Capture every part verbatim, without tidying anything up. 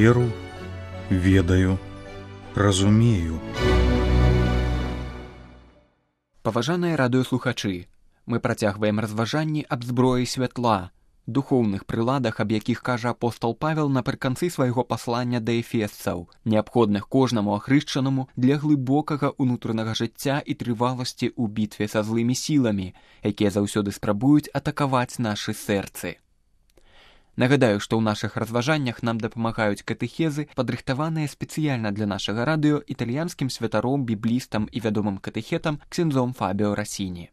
Веру, ведаю, разумею. Паважаныя радыёслухачы, мы працягваем разважанні аб зброі святла, духоўных прыладах, аб якіх кажа апостол Павел напрыканцы свайго паслання да эфесцаў, неабходных кожнаму ахрышчанаму для глыбокага ўнутранага жыцця і трываласці ў бітве са злымі сіламі, якія заўсёды спрабуюць атакаваць нашы сэрцы. Нагадаю, што ў нашых разважаннях нам дапамагаюць катэхезы, падрыхтаваныя спецыяльна для нашага радыё італьянскім святаром, біблістам і вядомым катэхетам ксяндзом Фабіо Расіні.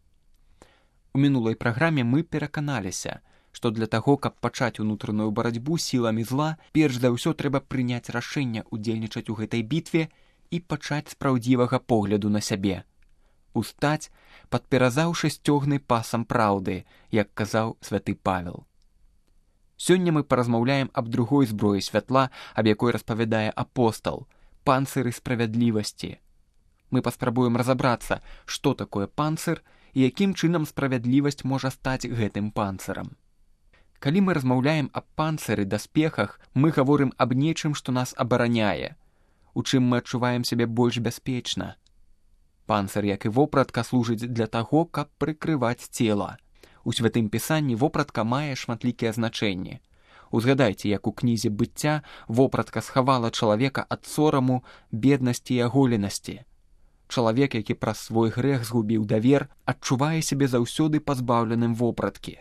У мінулай праграме мы пераканаліся, што для таго, каб пачаць унутраную барацьбу сіламі зла, перш за ўсё трэба прыняць рашэнне ўдзельнічаць у гэтай бітве і пачаць з праўдзівага погляду на сябе. Устаць, падперазаўшы сцёгны пасам праўды, як казаў святы Павел. Сёння мы паразмаўляем аб другой зброі святла, аб якой распавядае апостал – панцыры справядлівасці. Мы паспрабуем разабрацца, што такое панцыр і якім чынам справядлівасць можа стаць гэтым панцырам. Калі мы размаўляем аб панцыры, даспехах, мы гаворым аб нечым, што нас абараняе, у чым мы адчуваем сябе больш бяспечна. Панцыр, як і вопратка, служыць для таго, каб прыкрываць цела. У святым пісанні вопратка мае шматлікія значэнні. Узгадайце, як у кнізе быцця вопратка схавала чалавека ад сораму, беднасці і аголенасці. Чалавек, які праз свой грэх згубіў давер, адчувае сябе заўсёды пазбаўленым вопраткі.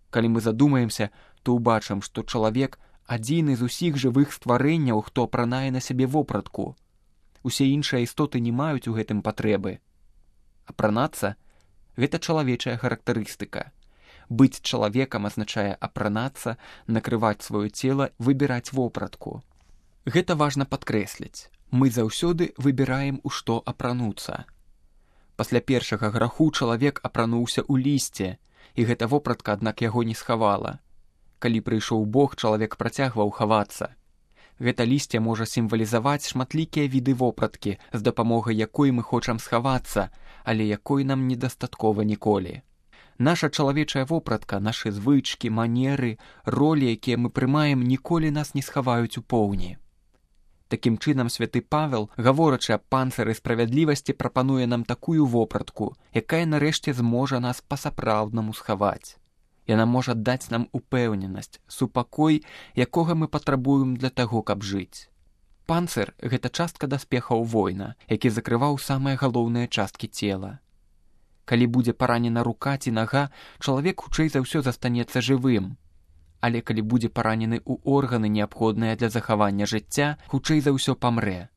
Калі мы задумаемся, то ўбачым, што чалавек адзіны з усіх жывых стварэнняў, хто апранае на сябе вопратку. Усе іншыя істоты не маюць у гэтым патрэбы. Апранацца – гэта чалавечая характарыстыка. Быць чалавекам азначае апранацца, накрываць сваё цела, выбіраць вопратку. Гэта важна падкрэсліць. Мы заўсёды выбіраем, у што апрануцца. Пасля першага граху чалавек апрануўся ў лісце, і гэта вопратка, аднак, яго не схавала. Калі прыйшоў Бог, чалавек працягваў хавацца. Гэта лісце можа сімвалізаваць шматлікія віды вопраткі, з дапамогай якой мы хочам схавацца, але якой нам недастаткова ніколі. Наша чалавечая вопратка, нашы звычкі, манеры, ролі, якія мы прымаем, ніколі нас не схаваюць у поўні. Такім чынам святы Павел, гаворачы аб панцыры справядлівасці, прапануе нам такую вопратку, якая нарэшце зможа нас па-сапраўднаму схаваць. Яна можа даць нам упэўненасць, супакой, якога мы патрабуем для таго, каб жыць. Панцыр – гэта частка даспехаў воіна, які закрываў самыя галоўныя часткі цела. Калі будзе паранена рука ці нага, чалавек хутчэй за ўсё застанецца жывым. Але калі будзе паранены ў органы, неабходныя для захавання жыцця, хутчэй за ўсё памрэ.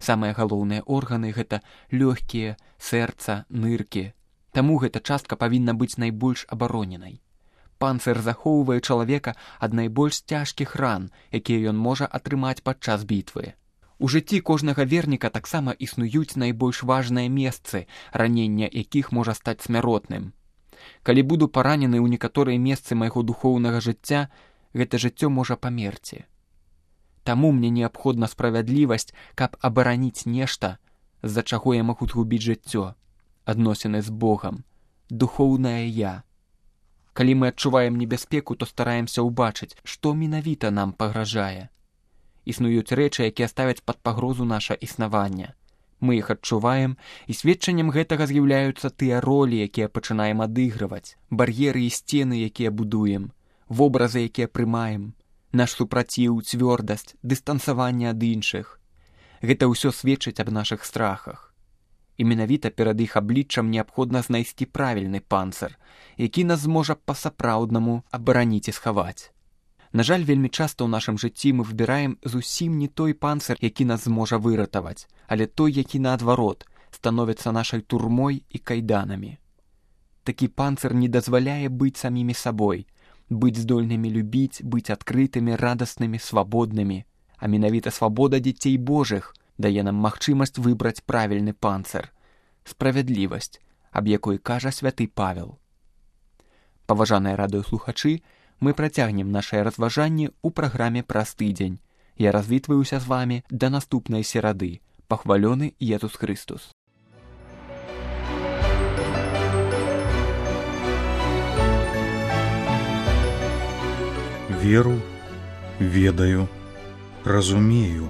Самыя галоўныя органы – гэта лёгкія, сэрца, ныркі. Таму гэта частка павінна быць найбольш абароненай. Панцыр захоўвае чалавека ад найбольш цяжкіх ран, якія ён можа атрымаць падчас бітвы. У жыцці кожнага верніка таксама існуюць найбольш важныя месцы, ранення якіх можа стаць смяротным. Калі буду паранены ў некаторыя месцы майго духоўнага жыцця, гэта жыццё можа памерці. Таму мне неабходна справядлівасць, каб абараніць нешта, з-за чаго я магу згубіць жыццё, адносіны з Богам, духоўнае я. Калі мы адчуваем небяспеку, то стараемся ўбачыць, што менавіта нам пагражае. Існуюць рэчы, якія ставяць пад пагрозу наша існаванне. Мы іх адчуваем, і сведчаннем гэтага з'яўляюцца тыя ролі, якія пачынаем адыгрываць, бар'еры і сцены, якія будуем, вобразы, якія прымаем, наш супраціў, цвёрдасць, дыстансаванне ад іншых. Гэта ўсё сведчыць аб нашых страхах. І менавіта перад іх абліччам неабходна знайсці правільны панцыр, які нас зможа па-сапраўднаму абараніць і схаваць. На жаль, вельмі часта ў нашым жыцці мы выбіраем зусім не той панцыр, які нас зможа выратаваць, але той, які, наадварот, становіцца нашай турмой і кайданамі. Такі панцыр не дазваляе быць самімі сабой, быць здольнымі любіць, быць адкрытымі, радаснымі, свабоднымі. А менавіта свабода дзяцей Божых дае нам магчымасць выбраць правільны панцыр, справядлівасць, аб якой кажа святы Павел. Паважаныя радыёслухачы, мы працягнем нашае разважанне ў праграме праз тыдзень. Я развітваюся з вамі да наступнай серады. Пахвалёны Езус Христос. Веру, ведаю, Разумею.